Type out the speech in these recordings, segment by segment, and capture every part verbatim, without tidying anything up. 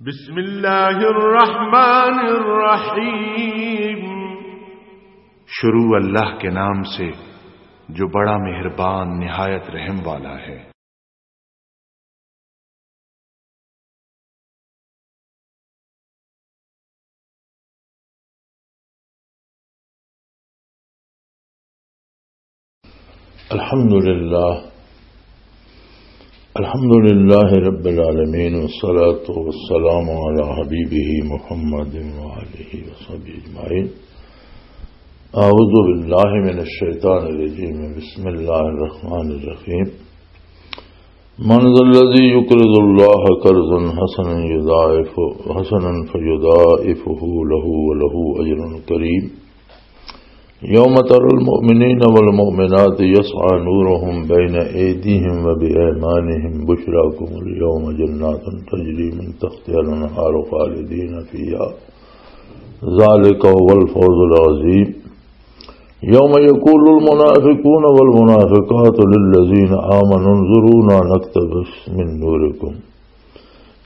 بسم اللہ الرحمن الرحیم۔ شروع اللہ کے نام سے جو بڑا مہربان نہایت رحم والا ہے۔ الحمد لله. الحمد لله رب العالمين، والصلاة والسلام على حبيبه محمد وآله وصحبه أجمعين. أعوذ بالله من الشيطان الرجيم. بسم الله الرحمن الرحيم. من ذا الذي يقرض الله قرضا حسنا يضاعف-، حسنا فيضاعفه له وله أجر كريم. يوم ترى المؤمنين والمؤمنات يسعى نورهم بين أيديهم وبأيمانهم بشراكم اليوم جنات تجري من تحتها الأنهار خالدين فيها ذلك هو الفوز العظيم. يوم يقول المنافقون والمنافقات للذين آمنوا انظرونا نقتبس من نوركم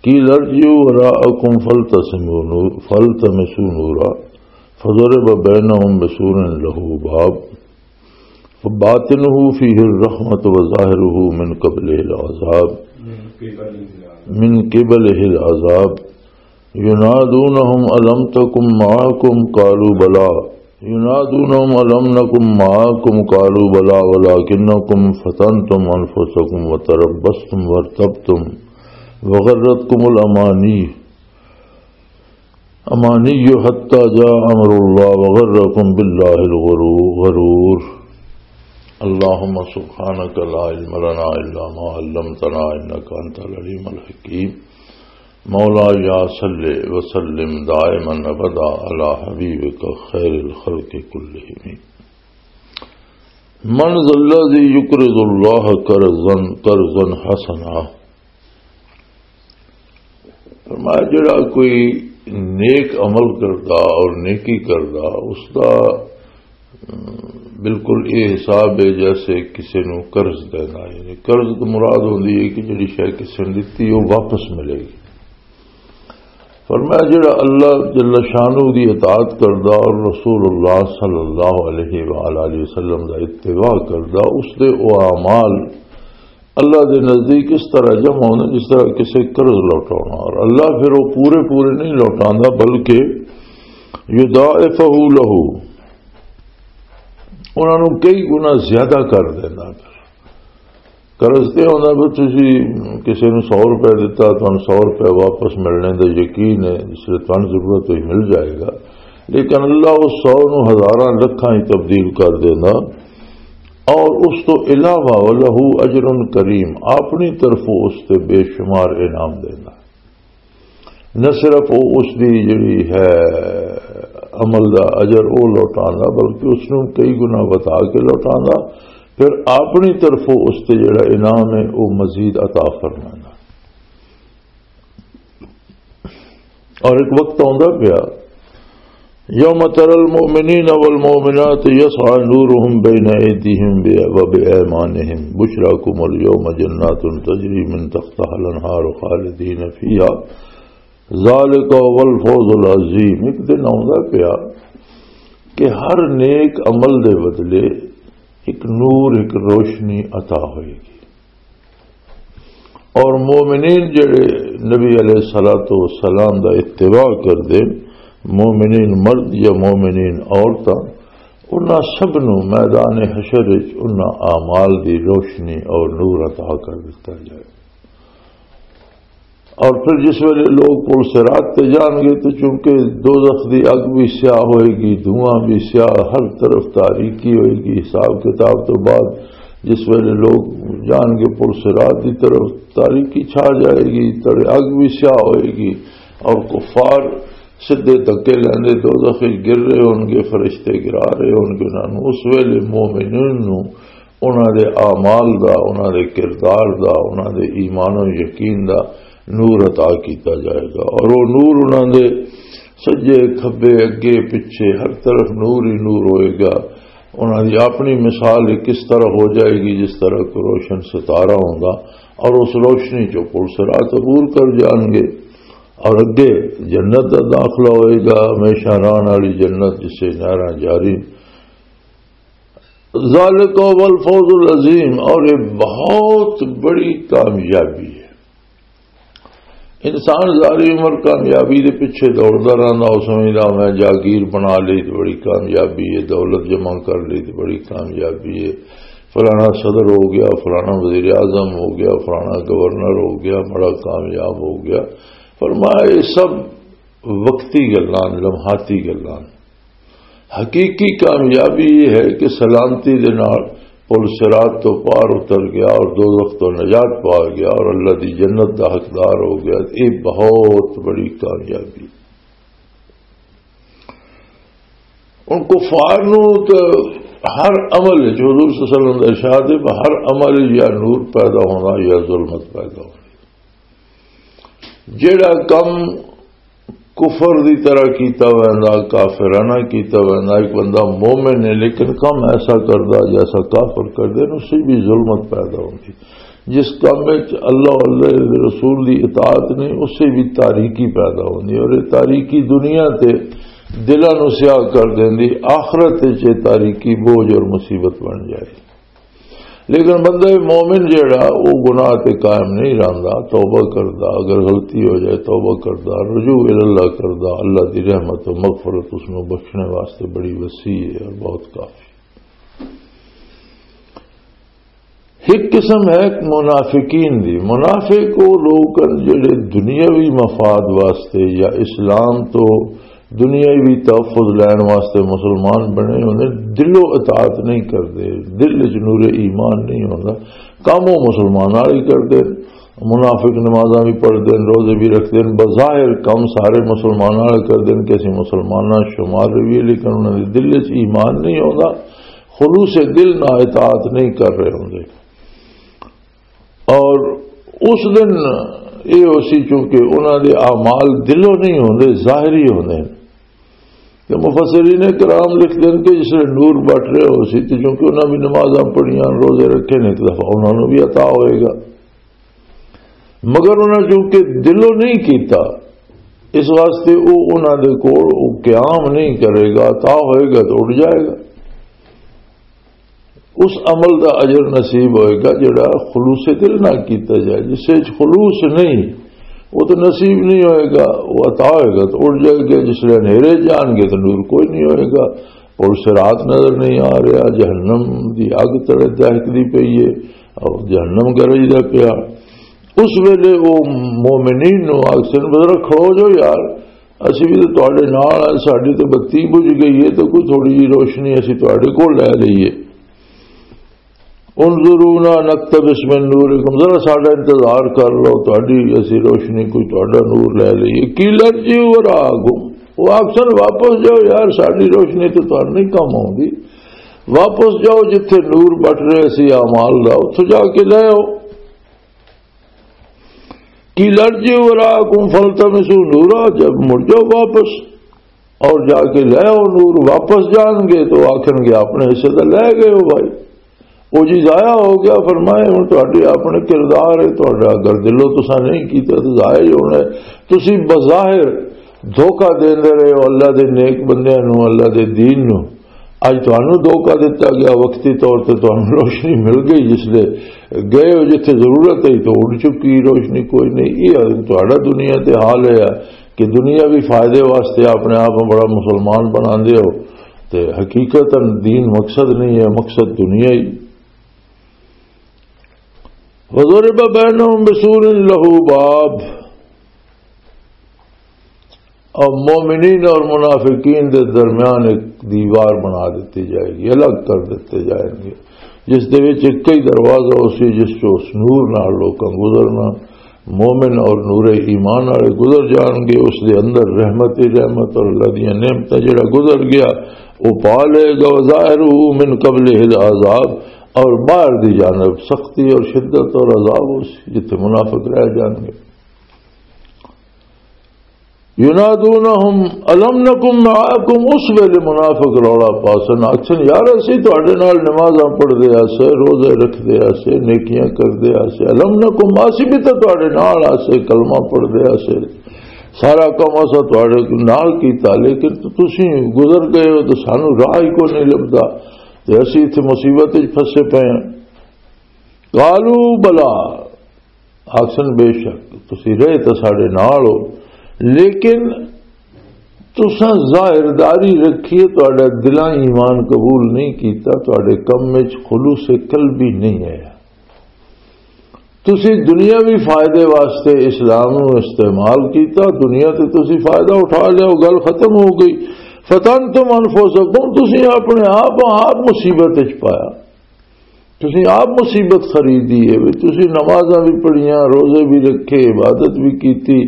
قيل ارجعوا وراءكم فالتمسوا نور-، فالتمسوا نورا فضرب بينهم بسور له باب باطنه فيه الرحمة وظاهره من قبله العذاب، من قبله العذاب. ينادونهم ألم تكن معكم؟ قالوا بلى. ينادونهم ألم نكن معكم؟ قالوا بلى ولكنكم فتنتم أنفسكم وتربصتم وارتبتم وغرتكم الأماني، أماني حتى جاء أمر الله وغركم بالله الغرو-، غرور. اللهم سبحانك لا علم لنا إلا ما علمتنا إنك أنت العليم الحكيم. مولاي صل وسلم دائما أبدا على حبيبك خير الخلق كلهم. من ذا الذي يقرض الله قرضا، قرضا حسنا؟ فرمایا، جڑا کوئی نیک عمل کردا اور نیکی کردا، اس دا، ام، بالکل یہ حساب ہے جیسے کسی نو قرض دینا۔ یعنی قرض تو مراد ہوندی ہے کہ جڑی شے کسی نے دتی، وہ واپس ملے گی۔ فرمایا، جڑا اللہ جل شانہ دی اطاعت کردا اور رسول اللہ صلی اللہ علیہ وآلہ وسلم دا اتباع کردا، اس دے او اعمال اللہ دے نزدیک اس طرح جمع ہوندے جس طرح کسی قرض لوٹاونا، اور اللہ پھر وہ پورے پورے نہیں لوٹاندا، بلکہ یضاعفہ لہ، انہاں نوں کئی گنا زیادہ کر دیندا۔ قرض تے ہوندا بھی تسی کسی نوں سو روپے دتا، تانوں سو روپے واپس ملنے دا یقین ہے، جس لئے تانوں ضرورت ہوئی مل جائے گا، لیکن اللہ اس سو نوں ہزاراں لکھاں ہی تبدیل کر دیندا۔ اور اس تو علاوہ وَلَهُ أَجْرٌ كَرِيمٌ، اپنی طرفوں اس تے بے شمار انعام دیندا۔ نہ صرف وہ اس دی جڑی ہے عمل دا اجر وہ لوٹاندا، بلکہ اس نوں کئی گنا وتا کے لوٹاندا، پھر اپنی طرفوں اس تے جڑا انعام ہے وہ مزید عطا فرماندا۔ اور ایک وقت آندا پیا، يوم ترى المؤمنين والمؤمنات يسعى نورهم بين أيديهم وبأيمانهم بشراكم اليوم جنات تجري من تحتها الأنهار خالدين فيها ذلك هو الفوز العظيم۔ ایک دن آندا پیا کہ ہر نیک عمل دے بدلے ایک نور، ایک روشنی عطا ہوئے گی۔ اور مومنین جڑے نبی علیہ الصلوۃ والسلام دا اتباع کردے، مومنین مرد یا مومنین عورتاں، انہاں سب نوں میدان حشر وچ انہاں اعمال دی روشنی اور نور عطا کر دتا جائے۔ اور پھر جس ویلے لوگ پل صراط تے جان گے تو چونکہ دوزخ دی اگ بھی سیاہ ہوئے گی، دھواں بھی سیاہ، ہر طرف تاریکی ہوئے گی۔ حساب کتاب تو بعد جس ویلے لوگ جان گے پل صراط دی طرف، تاریکی چھا جائے گی، تڑے اگ بھی سیاہ ہوئے گی، اور کفار سدھے دھکے لیندے دوزخ وچ گر رہے ہون گے، فرشتے گرا رہے ہون گے انہاں نوں۔ اس ویلے مومنین نوں انہاں دے اعمال دا، انہاں دے کردار دا، انہاں دے ایمان و یقین دا نور عطا کیتا جائے گا، اور وہ نور انہاں دے سجے، کھبے، اگے، پچھے، ہر طرف نور ہی نور ہوئے گا۔ انہاں دی اپنی مثال ہی کس طرح ہو جائے گی، جس طرح کوئی روشن ستارہ ہوندا، اور اس روشنی چوں پل صراط عبور کر جان گے۔ اور اگے جنت دا داخلہ ہوئے گا، ہمیشہ رہن والی جنت، جس سے نہراں جاری۔ ذالک هو الفوز العظیم، اور یہ بہت بڑی کامیابی ہے۔ انسان ساری عمر کامیابی دے پیچھے دوڑدا رہندا، او سمجھدا میں جاگیر بنا لئی تے بڑی کامیابی ہے، دولت جمع کر لئی تے بڑی کامیابی ہے، فلانا صدر ہو گیا، فلانا وزیر اعظم ہو گیا، فلانا گورنر ہو گیا، بڑا کامیاب ہو گیا۔ فرمایا، یہ سب وقتی گلاں، لمحاتی گلاں۔ حقیقی کامیابی یہ ہے کہ سلامتی دے نال پل صراط تو پار اتر گیا اور دوزخ تو نجات پا گیا اور اللہ دی جنت دا حقدار ہو گیا۔ یہ بہت بڑی کامیابی۔ ان کفار نو تے ہر عمل وچ، حضور صلی اللہ علیہ وسلم دا ارشاد ہے، ہر عمل وچ یا نور پیدا ہونا یا ظلمت پیدا ہونا۔ جیڑا کم کفر دی طرح کیتا ویندا، کافرانہ کیتا ویندا، ایک بندہ مومن ہے لیکن کم ایسا کردا جیسا کافر کردے نے، اس سے بھی ظلمت پیدا ہوندی۔ جس کم وچ اللہ والے رسول دی اطاعت نہیں، اس سے بھی تاریکی پیدا ہوندی، اور یہ تاریکی دنیا تے دلاں نو سیاہ کر دیندی، آخرت وچ یہ تاریکی بوجھ اور مصیبت بن جائے۔ لیکن بندہ مومن جیڑا، وہ گناہ تے قائم نہیں رہندا، توبہ کردا، اگر غلطی ہو جائے توبہ کردا، رجوع الی اللہ کردا، اللہ دی رحمت و مغفرت اس نو بخشنے واسطے بڑی وسیع ہے اور بہت کافی۔ ایک قسم ہے منافقین دی۔ منافق وہ لوگ ہیں جڑے دنیاوی مفاد واسطے یا اسلام تو دنیاوی تحفظ لین واسطے مسلمان بنے ہوندے، دلوں اطاعت نہیں کردے، دل وچ نور ایمان نہیں ہوندا۔ کم وہ مسلمان والے کردے، منافق نمازاں بھی پڑھدے ہیں، روزے بھی رکھدے ہیں، بظاہر کم سارے مسلمان والے کردے ہیں کہ اسی مسلماناں شمار رہیے، لیکن انہاں دے دل وچ ایمان نہیں ہوندا، خلوص دل نہ اطاعت نہیں کر رہے ہوندے۔ اور اس دن یہ ہو سی، چونکہ انہاں دے اعمال دلوں نہیں ہوندے، ظاہری ہوندے ہیں۔ تے مفسرین کرام لکھدے ہیں کہ جس ویلے نور بٹ رہے ہو سی، تے چونکہ انہاں بھی نمازاں پڑھیاں، روزے رکھے نے، ایک دفعہ انہاں نوں بھی عطا ہوئے گا۔ مگر انہاں چونکہ دلوں نہیں کیتا، اس واسطے وہ انہاں دے کول وہ قیام نہیں کرے گا، عطا ہوئے گا تو اٹھ جائے گا۔ اس عمل دا اجر نصیب ہوئے گا جڑا خلوص دل نہ کیتا جائے۔ جس وچ خلوص نہیں، وہ تو نصیب نہیں ہوئے گا، وہ عطا ہوئے گا تو اٹھ جائے گا۔ جس لے ہنیرے جان گے تو نور کوئی نہیں ہوئے گا۔ پل صراط نظر نہیں آ رہا، جہنم دی اگ تلے دہکدی پئی ہے اور جہنم گرجدا پیا۔ اس ویلے وہ مومنین نو آکھسن، "بزرگ کھڑو جو یار، اسی بھی تو تواڈے نال آں، ساڈی تو بتی بجھ گئی ہے، تو کوئی تھوڑی جی روشنی اسی تواڈے کول لے لئیے۔ انظرونا نقتبس من نورکم، ذرا ساڈا انتظار کر لو، تواڈی اسی روشنی، کوئی تواڈا نور لے لئیے۔" قیل ارجعوا وراءکم، وہ آکھسن، "واپس جاؤ یار، ساڈی روشنی تو تہاڈے نہیں کم آؤندی۔ واپس جاؤ، جتھے نور بٹ رہے سی اعمال دا، اتھوں جا کے لے آؤ۔" قیل ارجعوا وراءکم فالتمسوا نورا، جب مڑ جاؤ واپس اور جا کے لے آؤ نور۔ واپس جان گے تو آکھن گے، "اپنے حصے دا لے گئے ہو بھائی، وہ جی ضائع ہو گیا۔" فرمایا، "ہن تہاڈے اپنے کردار ہے، تہاڈا اگر دلوں تساں نہیں کیتا تو ضائع ہی ہونا ہے۔ تسی بظاہر دھوکا دیندے رہے ہو اللہ دے نیک بندیاں نوں، اللہ دے دین نوں۔" اج تانوں دھوکا دتا گیا، وقتی طور تے تانوں روشنی مل گئی، جس لے گئے ہو جتھے ضرورت ہے تو اڑ چکی روشنی، کوئی نہیں۔ یہ تہاڈا دنیا تے حال ہے کہ دنیاوی فائدے واسطے اپنے آپ نوں بڑا مسلمان بناندے ہو، تے حقیقت دین مقصد نہیں ہے، مقصد دنیا ہی۔ وضرب بینہم بسور لہ باب، اور مومنین اور منافقین دے درمیان ایک دیوار بنا دیتی جائے گی، الگ کر دیتے جائیں گے، جس دے وچ ایک ہی دروازہ ہو سی، جس چوں اس نور نال لوکاں گزرنا۔ مومن اور نور ایمان والے گزر جان گے، اس دے اندر رحمت ہی رحمت، اور اللہ دیاں نعمتاں، جڑا گزر گیا وہ پا لے گا۔ وظاہرہ من قبلہ العذاب، اور باہر دی جانب سختی اور شدت اور عذاب ہو سی، جتھے منافق رہ جان گے۔ ینادونہم الم نکن معکم، اس ویلے منافق رولا پاسن، آکھن، "یار، اسی تہاڈے نال نمازاں پڑھدے آسے، روزے رکھدے آسے، نیکیاں کردے آسے، الم نکن، اسی بھی تے تہاڈے نال آسے، کلمہ پڑھدے آسے، سارا کم اساں تہاڈے نال کیتا، لیکن تسی گزر گئے ہو تے سانو راہ ہی کوئی نہیں لبدا، تے اسی اتھے مصیبت وچ پھسے پئے ہاں۔ قالوا بلا، آکھن بے شک تسی رہے تاں ساڈے نال ہو، لیکن تساں ظاہرداری رکھی ہے، تہاڈا دلاں ایمان قبول نہیں کیتا، تہاڈے کم وچ خلوص قلبی نہیں آیا۔ تسی دنیاوی فائدے واسطے اسلام نوں استعمال کیتا، دنیا تے تسی فائدہ اٹھا لیا، وہ گل ختم ہو گئی۔ فتنتم انفسکم، تسی اپنے آپ آپ مصیبت وچ پایا، تسی آپ مصیبت خریدی ہے۔ وی تسی نمازاں بھی پڑھیاں، روزے بھی رکھے، عبادت بھی کیتی،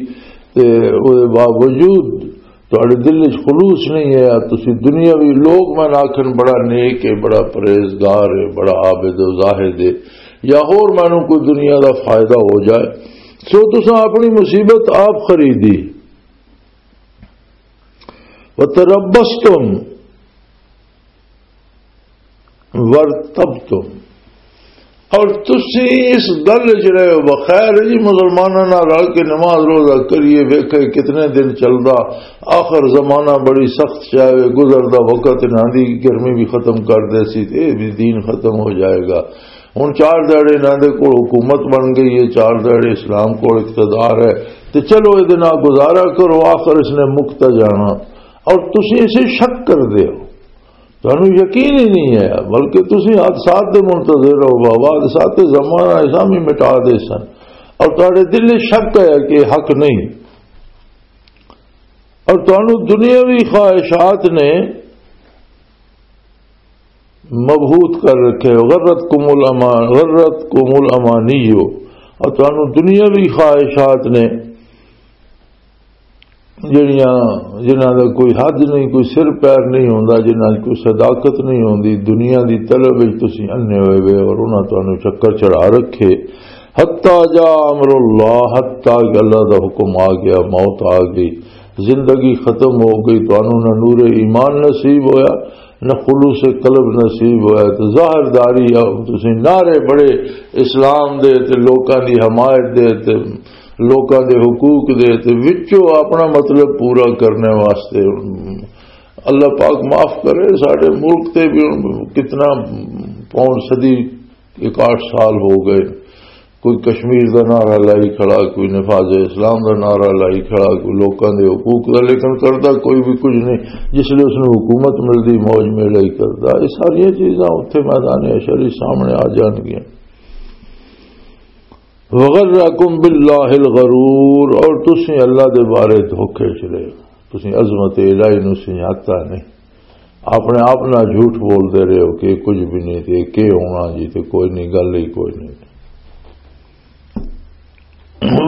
تے او دے باوجود تہاڈے دل وچ خلوص نہیں ہے۔ تسی دنیاوی لوگ میں آکھن بڑا نیک ہے، بڑا پرہیزگار ہے، بڑا عابد و زاہد ہے، یا ہور مینوں کوئی دنیا دا فائدہ ہو جائے، سو تساں اپنی مصیبت آپ خریدی۔ وتربصتم وارتبتم، اور تسی اس گل وچ رہے ہو، بخیر جی، مسلماناں نال رل کے نماز روزہ کریے، ویکھے کتنے دن چلدا، آخر زمانہ بڑی سخت شے وے، گزردا وقت انہاں دی گرمی بھی ختم کر دے سی، تے اے بھی دین ختم ہو جائے گا۔ ہن چار دہاڑے انہاں دے کول حکومت بن گئی ہے، چار دہاڑے اسلام کول اقتدار ہے، تے چلو اے دے نال گزارا کرو، آخر اس نے مک تاں جانا۔ اور تسی اسے شک کر دے ہو، تانوں یقین ہی نہیں ہے، بلکہ تسی حادثات دے منتظر ہو۔ بابا، حادثات تے زمانہ ایسا بھی مٹا دے سن، اور تہاڈے دل وچ شک ہے کہ حق نہیں، اور تانوں دنیاوی خواہشات نے مبہوت کر رکھے ہو۔ غرتکم الامان، غرتکم الامانی ہو، اور تانوں دنیاوی خواہشات نے جڑیاں، جنہاں دا کوئی حد نہیں، کوئی سر پیر نہیں ہوندا، جنہاں دی کوئی صداقت نہیں ہوندی، دنیا دی طلب وچ تسی انے ہوئے وے اور انہاں تانوں چکر چڑھا رکھے۔ حتی جاء امر اللہ، حتی کہ اللہ دا حکم آ گیا، موت آ گئی، زندگی ختم ہو گئی، تانوں نہ نور ایمان نصیب ہویا، نہ خلوص قلب نصیب ہویا۔ تے ظاہر داری آ، تسی نعرے بڑے اسلام دے تے لوکاں دی حمایت دے تے لوکاں دے حقوق دے تے وچوں اپنا مطلب پورا کرنے واسطے۔ اللہ پاک معاف کرے، ساڈے ملک تے بھی ہن کتنا پون صدی، اکاہٹھ سال ہو گئے، کوئی کشمیر دا نعرہ لائی کھڑا، کوئی نفاذ اسلام دا نعرہ لائی کھڑا، کوئی لوکاں دے حقوق دا، لیکن کردا کوئی بھی کچھ نہیں۔ جس لے اس نوں حکومت ملدی، موج میلہ ہی کردا۔ یہ ساریاں چیزاں اتھے میدان حشر ہی سامنے آ جان گیاں۔ وغرکم باللہ الغرور، اور تسی اللہ دے بارے دھوکے چ رہے ہو، تسی عظمت الہی نو سنجھاتا نہیں، اپنے آپ نال جھوٹ بول دے رہے ہو کہ کچھ بھی نہیں، تے کہ ہونا جی، تے کوئی نہیں، گل ہی کوئی نہیں۔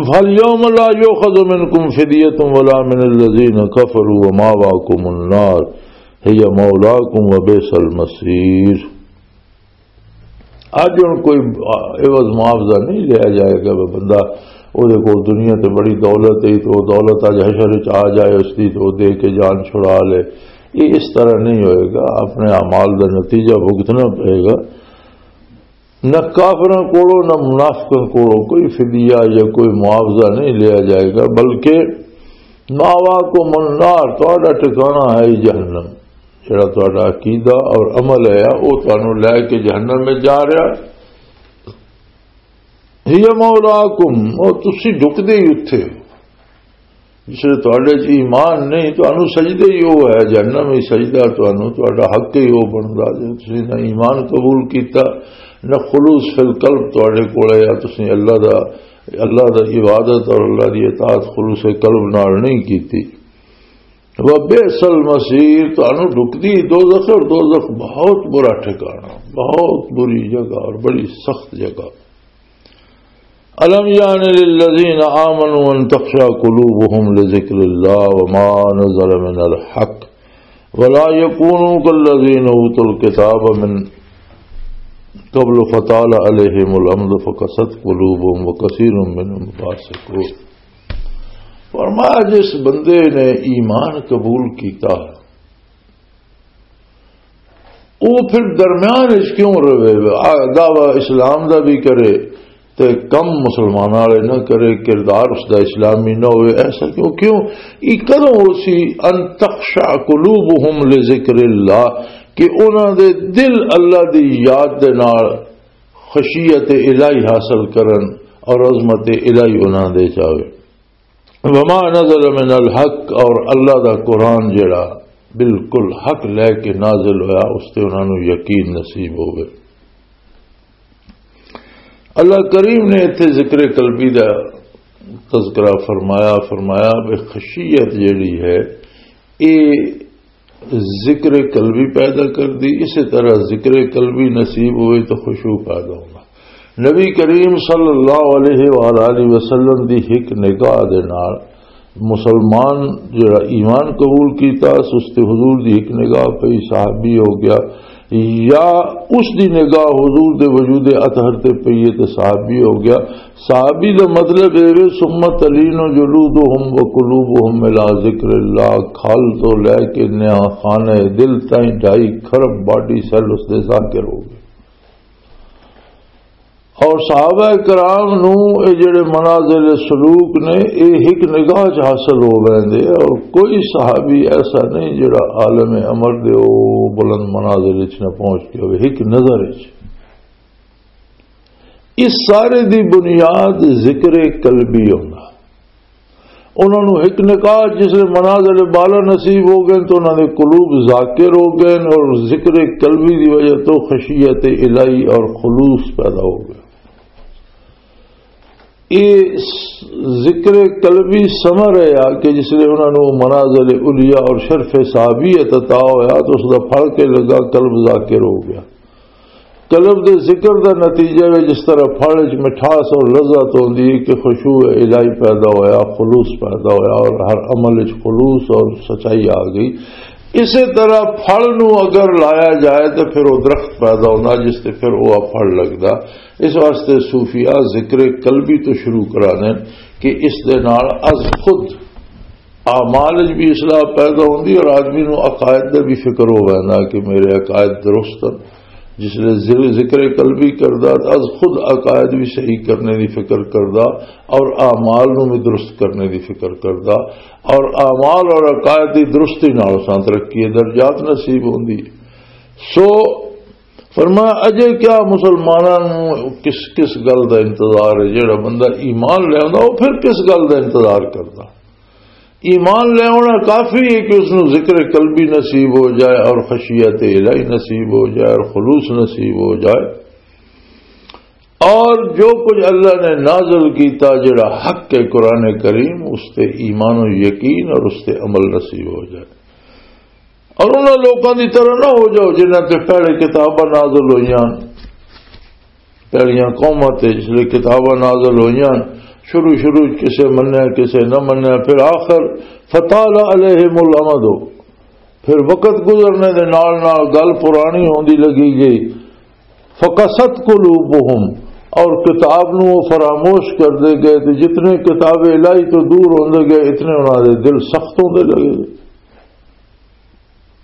فالیوم لا یؤخذ منکم فدیۃ ولا من الذین کفروا وماواکم النار، هی مولاکم وبئس المصیر۔ اج ہن کوئی عوض معاوضہ نہیں لیا جائے گا۔ وہ بندہ، وہ دے کول دنیا تے بڑی دولت ہے، تو وہ دولت اج حشر وچ آ جائے، اس دی تو دے کے جان چھڑا لے۔ یہ اس طرح نہیں ہوئے گا، اپنے اعمال دا نتیجہ بھگتنا پڑے گا۔ نہ کافراں کولوں نہ منافقاں کولوں کوئی فدیہ یا کوئی معاوضہ نہیں لیا جائے گا، بلکہ ماواکم النار، تہاڈا ٹھکانہ ہے جہنم۔ جڑا تہاڈا عقیدہ اور عمل ہے، او تانوں لے کے جہنم میں جا رہا۔ ہی مولاکم، او تسی ڈکدے ہی اتھے ہو۔ جس لے تہاڈے چ ایمان نہیں، تانوں سجدے ہی او ہے، جہنم ہی سجدہ، تانوں تہاڈا حق ہی او بندا۔ جے تسی نہ ایمان قبول کیتا، نہ خلوص فی القلب تہاڈے کول ہے، تسی اللہ دا، اللہ دا عبادت اور اللہ دی اطاعت خلوص قلب نال نہیں کیتی۔ وبئس المصیر، تانوں ڈکدی دوزخ، اور دوزخ بہت برا ٹھکانہ، بہت بری جگہ اور بڑی سخت جگہ۔ الم یعن للذین آمنوا ان تخشع قلوبهم لذکر اللہ وما نزل من الحق ولا یکونوا کالذین اوتوا الکتاب من قبل فطال علیہم الامد فقست قلوبهم وکثیر منهم فاسقون۔ فرمایا، جس بندے نے ایمان قبول کیتا، وہ پھر درمیان وچ کیوں رہے؟ آ، دعویٰ اسلام دا بھی کرے، تے کم مسلماناں والے نہ کرے، کردار اس دا اسلامی نہ ہوئے۔ ایسا کیوں؟ کیوں؟ یہ کدوں ہو سی؟ ان تخشع قلوبہم لذکر اللہ، کہ انہاں دے دل اللہ دی یاد دے نال خشیت الہی حاصل کرن اور عظمت الہی انہاں دے چاہے۔ وما نزل من الحق، اور اللہ دا قرآن جڑا بالکل حق لے کے نازل ہویا، اس تے انہاں نوں یقین نصیب ہوئے۔ اللہ کریم نے اتھے ذکر قلبی دا تذکرہ فرمایا، فرمایا بے خشیت جڑی ہے، اے ذکر قلبی پیدا کر دی۔ اسی طرح ذکر قلبی نصیب ہوئے تو خشوع پیدا ہونا۔ نبی کریم صلی اللہ علیہ وآلہ وسلم دی ایک نگاہ دے نال مسلمان جڑا ایمان قبول کیتا، اس تے حضور دی ایک نگاہ پئی، صحابی ہو گیا، یا اس دی نگاہ حضور دے وجود اطہر تے پئی ہے تے صحابی ہو گیا۔ صحابی دا مطلب اے وے، ثم تلین جلودہم و قلوبہم الی ذکر اللہ، کھل تو لے کے نیا خانہ دل تائیں ڈھائی خرب باڈی سیل اس دے ذاکر ہو گئے۔ اور صحابہ کرام نو اے جڑے منازل سلوک نے، اے ہک نگاہ چ حاصل ہو ویندے، اور کوئی صحابی ایسا نہیں جڑا عالم امر دے او بلند منازل وچ نہ پہنچ کے ہوئے، ہک نظر وچ۔ اس سارے دی بنیاد ذکر قلبی ہونا۔ انہاں نوں ایک نکاح جس لئے منازل بالا نصیب ہو گئے تو انہاں دے قلوب ذاکر ہو گئے اور ذکر قلبی دی وجہ تو خشیت الہی اور خلوص پیدا ہو گیا۔ یہ ذکر قلبی ثمر ہے کہ جس لئے انہاں نوں منازل علیا اور شرف صحابیت عطا ہویا تو اس دا پھل کے لگا، قلب ذاکر ہو گیا۔ قلب دے ذکر دا نتیجہ وے، جس طرح پھل وچ مٹھاس اور لذت ہوندی ہے کہ خشوع الہی پیدا ہویا، خلوص پیدا ہویا اور ہر عمل وچ خلوص اور سچائی آ گئی۔ اسی طرح پھل نو اگر لایا جائے تو پھر وہ درخت پیدا ہوندا، جس تے پھر وہ پھل لگدا۔ اس واسطے صوفیاء ذکر قلبی تو شروع کرانے کہ اس دے نال از خود اعمال وچ بھی اصلاح پیدا ہوندی اور آدمی نو عقائد دا بھی فکر ہو ویندا کہ میرے عقائد درست ہیں۔ جس لئے ذ-، ذکر قلبی کردا، از خود عقائد بھی صحیح کرنے دی فکر کردا اور اعمال نو بھی درست کرنے دی فکر کردا، اور اعمال اور عقائد دی درستی نال اساں ترقی درجات نصیب ہوندی۔ سو فرمایا، اجے کیا مسلماناں نوں کس، کس گل دا انتظار ہے؟ جڑا بندہ ایمان لے آوندا، وہ پھر کس گل دا انتظار کردا؟ ایمان لے آنا کافی ہے کہ اس نوں ذکر قلبی نصیب ہو جائے اور خشیت الہی نصیب ہو جائے اور خلوص نصیب ہو جائے۔ اور جو کچھ اللہ نے نازل کیتا، جڑا حق ہے قرآن کریم، اس تے ایمان و یقین اور اس تے عمل نصیب ہو جائے۔ اور انہاں لوکاں دی طرح نہ ہو جاؤ جنہاں تے پہلے کتاباں نازل ہوئیاں، پہلیاں قوماں تے جس لئے کتاباں نازل ہوئیاں، شروع شروع وچ کسے منیا، کسے نہ منیا، پھر آخر فطال علیہم الامد، پھر وقت گزرنے دے نال نال گل پرانی ہوندی لگی گئی۔ فقست قلوبہم، اور کتاب نو وہ فراموش کر دے گئے، تے جتنے کتاب الہی تو دور ہوندے گئے، اتنے انہاں دے دل سخت ہوندے لگے۔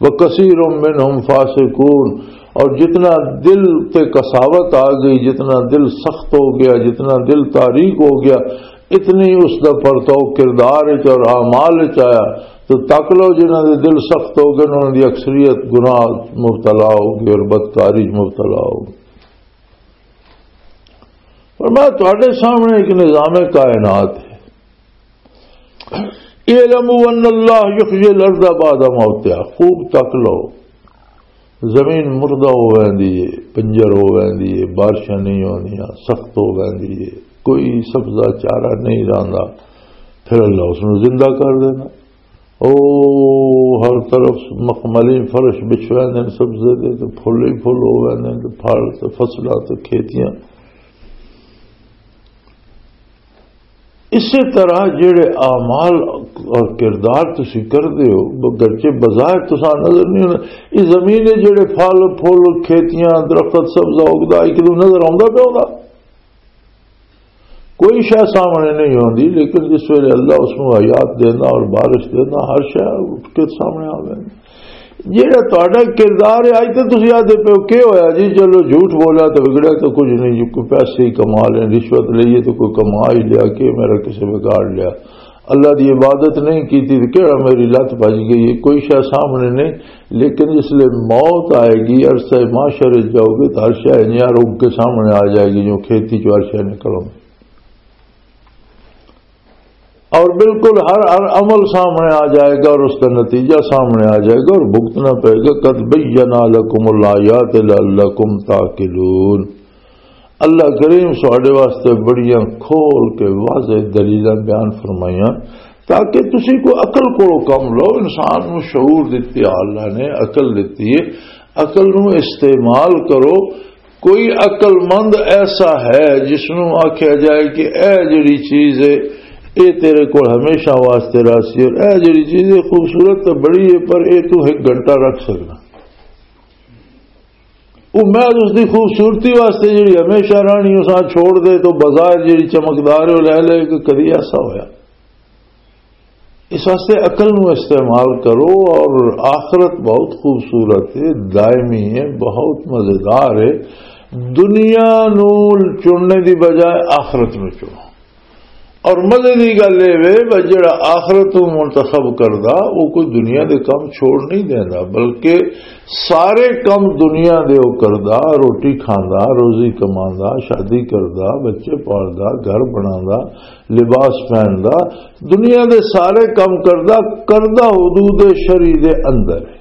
وَكَثِيرٌ مِّنْهُمْ فَاسِقُونَ، اور جتنا دل تے قساوت آ گئی، جتنا دل سخت ہو گیا، جتنا دل تاریک ہو گیا، اتنی اس دا پرتو کردار وچ اور اعمال وچ آیا۔ تو تک لو، جنہاں دے دل سخت ہو گئے، انہاں دی اکثریت گناہ مبتلا ہو گئی اور بدکاری مبتلا ہو گئی۔ فرمایا، تہاڈے سامنے ایک نظام کائنات ہے۔ اعلموا ان اللہ یحیی الارض بعد موتها، خوب تک لو، زمین مردہ ہو ویندی ہے، بنجر ہو ویندی ہے، بارشاں نہیں ہوندیاں، سخت ہو ویندی ہے، کوئی سبزہ چارہ نہیں رہندا، پھر اللہ اس نوں زندہ کر دینا۔ او ہر طرف مخملی فرش بچھ ویندے نے سبزے دے، تے پھل ہی پھل ہو ویندے نے، تے پھل تے فصلاں تے کھیتیاں۔ اسی طرح جڑے اعمال اور کردار تسی کردے ہو، گرچہ بظاہر تساں نظر نہیں ہونا، اس زمین دے جڑے پھل پھل، کھیتیاں، درخت، سبزہ اگدا، ایک دو نظر آوندا پیا ہوندا؟ کوئی شے سامنے نہیں ہوندی، لیکن جس ویلے اللہ اس نوں حیات دیندا اور بارش دیندا، ہر شے اٹھ کے سامنے آ ویندی۔ جہڑا تہاڈا کردار ہے، اج تے تسی آدھے پیو، "کی ہویا جی؟ چلو، جھوٹ بولا تے وگڑیا تے کچھ نہیں جی، کوئی پیسے ہی کما لے، رشوت لئیے تے کوئی کما ہی لیا، کہ میرا کسے بگاڑ لیا؟ اللہ دی عبادت نہیں کیتی تے کہڑا میری لت بج گئی ہے؟" کوئی شے سامنے نہیں، لیکن جس لے موت آئے گی، عرصہ محشر وچ جاؤ گے، تے ہر شے انجیاں رک کے سامنے آ جائے گی، جو کھیتی چوں ہر شے نکل آؤں۔ اور بالکل ہر، ہر عمل سامنے آ جائے گا اور اس کا نتیجہ سامنے آ جائے گا، اور بھگتنا پڑے گا۔ "قد بینا لکم الآیات لعلکم تعقلون۔" اللہ کریم ساڈے واسطے بڑیاں کھول کے واضح دلیلاں بیان فرمائیاں، تاکہ تسی کو عقل کو کم لو۔ انسان نو شعور دتی ہے، اللہ نے عقل دتی ہے، عقل نو استعمال کرو۔ کوئی عقل مند ایسا ہے جس نوں آکھیا جائے کہ اے جڑی چیز ہے، اے تیرے کول ہمیشہ واسطے راسی، اور اے جڑی چیز ہے خوبصورت تو بڑی ہے، پر اے تو ایک گھنٹہ رکھ سکنا؟ وہ محض اس دی خوبصورتی واسطے جڑی ہمیشہ رہنی، اساں چھوڑ دے تو بظاہر جڑی چمکدار ہے، وہ لے لے، کہ کدی ایسا ہویا؟ اس واسطے عقل نو استعمال کرو۔ اور آخرت بہت خوبصورت ہے، دائمی ہے، بہت مزیدار ہے۔ دنیا نو چننے دی بجائے آخرت نو چنو۔ اور مزے دی گل اے وے، بس جڑا آخرت نو منتخب کردا، وہ کوئی دنیا دے کم چھوڑ نہیں دیندا، بلکہ سارے کم دنیا دے وہ کردا، روٹی کھاندا، روزی کماندا، شادی کردا، بچے پالدا، گھر بناندا، لباس پہندا، دنیا دے سارے کم کردا، کردا حدود شرعی دے اندر ہے۔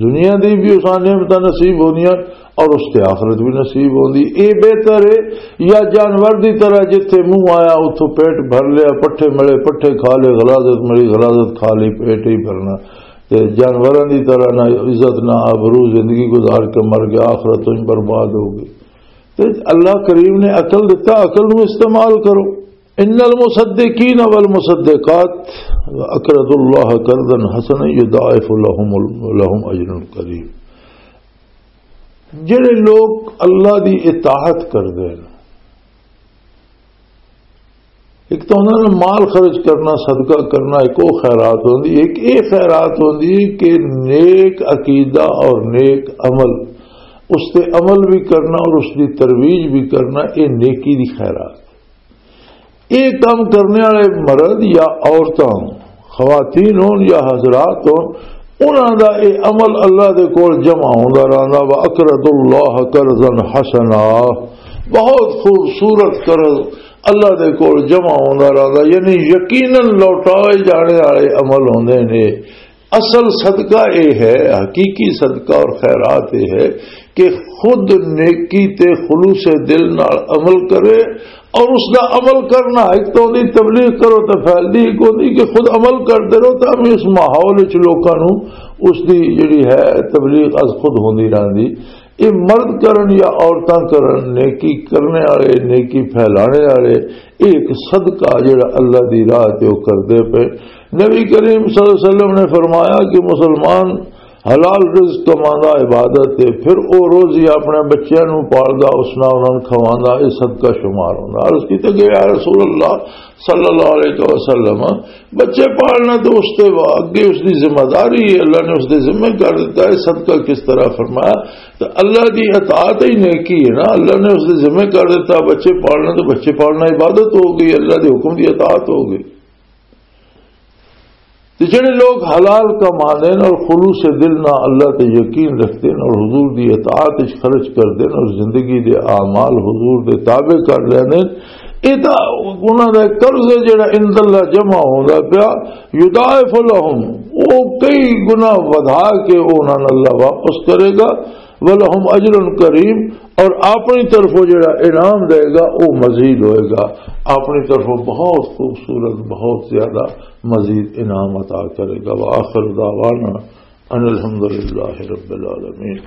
دنیا دی بھی اساں نعمتاں نصیب ہوندیاں اور اس تے آخرت بھی نصیب ہوندی۔ اے بہتر ہے یا جانور دی طرح جتھے منہ آیا اتھوں پیٹ بھر لیا، پٹھے ملے پٹھے کھا لے، غلاظت ملی غلاظت کھا لی، پیٹ ہی بھرنا۔ تے جانوراں دی طرح نہ عزت نہ آبرو، زندگی گزار کے مر گیا، آخرت تو ہی برباد ہو گئی۔ تے اللہ کریم نے عقل دتا، عقل نو استعمال کرو۔ ان المصدقین والمصدقات اقرضوا اللہ قرضا حسنا یضاعف لهم، لهم اجر کریم۔ جڑے لوگ اللہ دی اطاعت کردے ہیں، ایک تو انہاں نے مال خرچ کرنا، صدقہ کرنا، ایک وہ خیرات ہوندی، ایک یہ خیرات ہوندی کہ نیک عقیدہ اور نیک عمل، اس تے عمل بھی کرنا اور اس دی ترویج بھی کرنا، یہ نیکی دی خیرات۔ یہ کام کرنے والے مرد یا عورتاں، خواتین ہون یا حضرات ہون، انہاں دا یہ عمل اللہ دے کول جمع ہوندا رہندا۔ وَأَقْرَضُوا اللَّهَ قَرْضًا حَسَنًا، بہت خوبصورت قرض اللہ دے کول جمع ہوندا رہندا، یعنی یقیناً لوٹائے جانے والے عمل ہوندے نے۔ اصل صدقہ اے ہے، حقیقی صدقہ اور خیرات اے ہے کہ خود نیکی تے خلوص دل نال عمل کرے، اور اس دا عمل کرنا، ایک تو دی تبلیغ کرو تے پھیلدی ہی کوئی نہیں، کہ خود عمل کردے رہو، تاں بھی اس ماحول وچ لوکاں نوں اس دی جڑی ہے تبلیغ از خود ہوندی رہندی۔ یہ مرد کرن یا عورتاں کرن، نیکی کرنے والے، نیکی پھیلانے والے، یہ ایک صدقہ جڑا اللہ دی راہ تے وہ کردے پے۔ نبی کریم صلی اللہ علیہ وسلم نے فرمایا کہ مسلمان حلال رزق کماندا عبادت ہے، پھر او روزی اپنے بچیاں نوں پالدا، اس نال انہاں نوں کھواندا، یہ صدقہ شمار ہوندا۔ عرض کیتے کہ یا رسول اللہ، صلی اللہ علیہ وسلم، بچے پالنا تو اس تے وا-، اگے اس دی ذمہ داری ہے، اللہ نے اس دے ذمہ کر دیتا ہے، صدقہ کس طرح فرمایا؟ تو اللہ دی اطاعت ہی نیکی ہے نا، اللہ نے اس دے ذمہ کر دیتا، بچے پالنا تو بچے پالنا عبادت ہو گئی، اللہ دے حکم دی اطاعت ہو گئی۔ تو جڑے لوگ حلال کما دین اور خلوص دل نہ اللہ تے یقین رکھتے ہیں اور حضور دی اطاعت وچ خرچ کر دین اور زندگی دے اعمال حضور دے تابع کر لیندے، اے تاں انہاں دا قرض ہے جڑا عند اللہ جمع ہوندا پیا، یضاعف لهم، او کئی گنا ودھا کے او انہاں نوں اللہ واپس کرے گا، ولهم اجر کریم، اور اپنی طرفوں جڑا انعام دے گا او مزید ہوئے گا، اپنی طرفوں بہت خوبصورت، بہت زیادہ مزید انعام عطا کرے گا۔ وآخر دعوانا ان الحمد للہ رب العالمین۔